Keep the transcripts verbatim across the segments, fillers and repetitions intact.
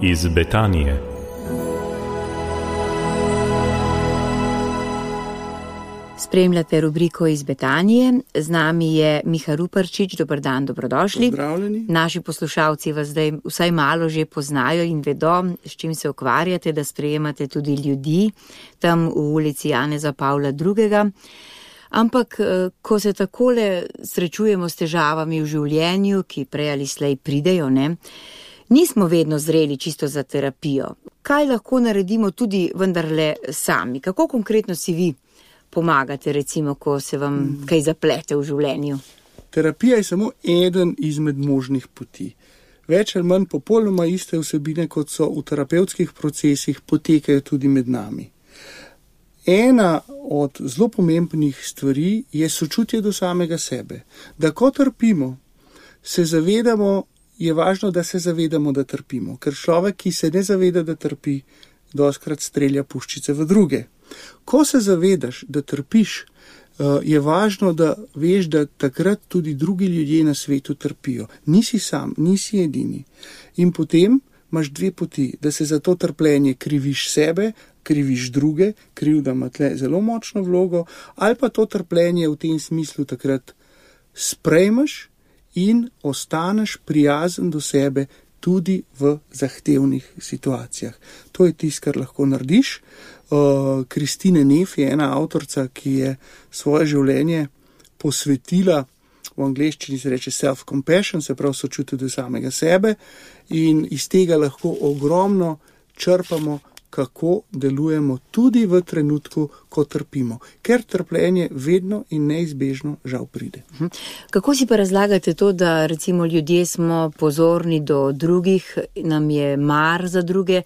iz Betanije. Spremljate rubriko iz Betanije. Z nami je Miha Ruparčič. Dober dan, dobrodošli. Pozdravljeni. Naši poslušalci vas zdaj vsaj malo že poznajo in vedo, s čim se ukvarjate, da sprejemate tudi ljudi tam v ulici Janeza Pavla drugega. Ampak, ko se takole srečujemo s težavami v življenju, ki prej ali slej pridejo, ne, nismo vedno zreli čisto za terapijo. Kaj lahko naredimo tudi vendarle sami? Kako konkretno si vi pomagate, recimo, ko se vam kaj zaplete v življenju? Terapija je samo eden izmed možnih poti. Več ali manj popolnoma iste vsebine, kot so v terapevtskih procesih, potekajo tudi med nami. Ena od zelo pomembnih stvari je sočutje do samega sebe. Da ko trpimo, se zavedamo, je važno, da se zavedamo, da trpimo. Ker človek, ki se ne zaveda, da trpi, dostikrat strelja puščice v druge. Ko se zavedaš, da trpiš, je važno, da veš, da takrat tudi drugi ljudje na svetu trpijo. Nisi sam, nisi edini. In potem imaš dve poti, da se za to trpljenje kriviš sebe, kriviš druge, krivda ima tle zelo močno vlogo, ali pa to trpljenje v tem smislu takrat sprejmeš in ostaneš prijazen do sebe tudi v zahtevnih situacijah. To je tisto, kar lahko narediš. Kristine Neff je ena avtorica, ki je svoje življenje posvetila, v angleščini se reče self-compassion, se pravi sočutje do samega sebe, in iz tega lahko ogromno črpamo, kako delujemo tudi v trenutku, ko trpimo. Ker trpljenje vedno in neizbežno žal pride. Kako si pa razlagate to, da recimo ljudje smo pozorni do drugih, nam je mar za druge,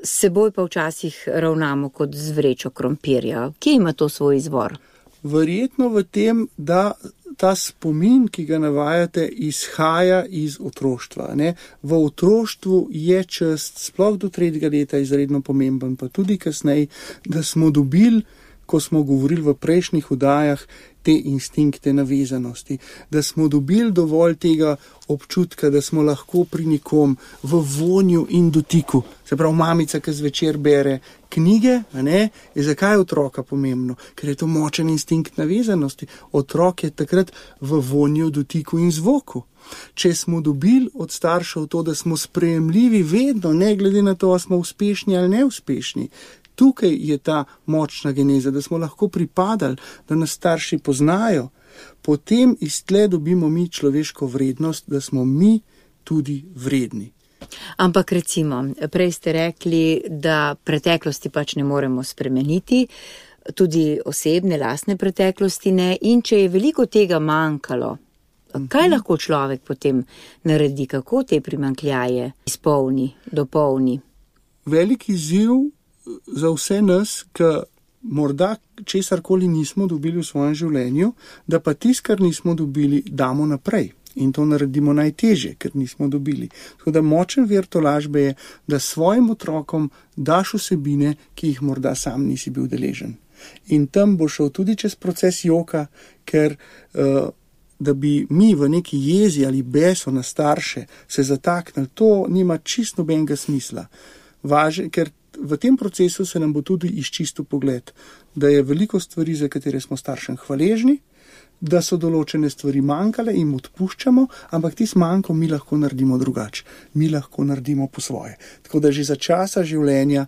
s seboj pa včasih ravnamo kot z vrečo krompirja? Kje ima to svoj izvor? Verjetno v tem, da ta spomin, ki ga navajate, izhaja iz otroštva. Ne? V otroštvu je čas, sploh do tretjega leta, izredno pomemben, pa tudi kasneje, da smo dobili, ko smo govorili v prejšnjih oddajah, te instinkte navezanosti, da smo dobili dovolj tega občutka, da smo lahko pri nekom v vonju in dotiku. Se pravi, mamica, ki zvečer bere knjige, a ne, je zakaj je otroka pomembno? Ker je to močen instinkt navezanosti. Otrok je takrat v vonju, dotiku in zvoku. Če smo dobili od staršev to, da smo sprejemljivi vedno, ne glede na to, ali smo uspešni ali neuspešni, tukaj je ta močna geneza, da smo lahko pripadali, da nas starši poznajo, potem iz tle dobimo mi človeško vrednost, da smo mi tudi vredni. Ampak recimo, prej ste rekli, da preteklosti pač ne moremo spremeniti, tudi osebne, lastne preteklosti ne, in če je veliko tega manjkalo, kaj lahko človek potem naredi, kako te primanjkljaje izpolni, dopolni? Velik izziv za vse nas, ki morda česarkoli nismo dobili v svojem življenju, da pa tisto, kar nismo dobili, damo naprej. In to naredimo najtežje, ker nismo dobili. Tako da močen vir tolažbe je, da svojim otrokom daš vsebine, ki jih morda sam nisi bil deležen. In tam bo šel tudi čez proces joka, ker uh, da bi mi v neki jezi ali beso na starše se zataknili, to nima čisto nobenega smisla. Važno, ker v tem procesu se nam bo tudi izčistil pogled, da je veliko stvari, za katere smo staršem hvaležni, da so določene stvari manjkale in odpuščamo, ampak tisto manjko mi lahko naredimo drugače. Mi lahko naredimo po svoje. Tako da že za časa življenja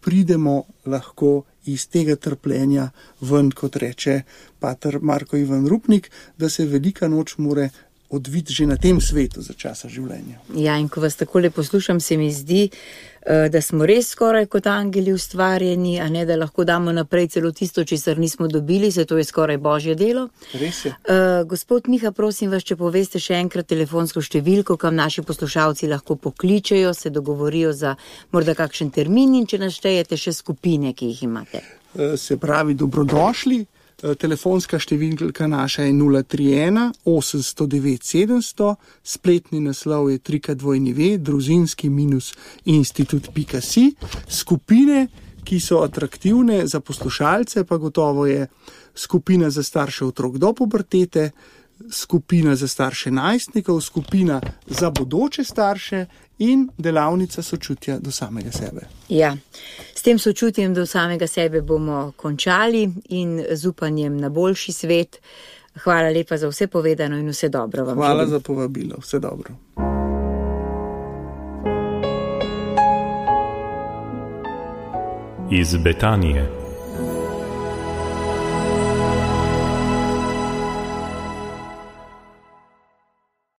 pridemo lahko iz tega trpljenja ven, kot reče pater Marko Ivan Rupnik, da se velika noč more odviti že na tem svetu za časa življenja. Ja, in ko vas takole poslušam, se mi zdi, da smo res skoraj kot angeli ustvarjeni, a ne, da lahko damo naprej celo tisto, česar nismo dobili, se to je skoraj božje delo. Res je. Uh, gospod Miha, prosim vas, če poveste še enkrat telefonsko številko, kam naši poslušalci lahko pokličejo, se dogovorijo za morda kakšen termin in če naštejete še skupine, ki jih imate. Uh, se pravi, dobrodošli. Telefonska številka naša je nula tri ena osem sto devet sedemsto, spletni naslov je tri krat dvojni ve, družinski minus institut pika si. Skupine, ki so atraktivne za poslušalce, pa gotovo je skupina za starše otrok do pubertete, skupina za starše najstnikov, skupina za bodoče starše in delavnica sočutja do samega sebe. Ja, s tem sočutjem do samega sebe bomo končali in z upanjem na boljši svet. Hvala lepa za vse povedano in vse dobro vam. Hvala želim. za povabilo, vse dobro. Iz Betanije.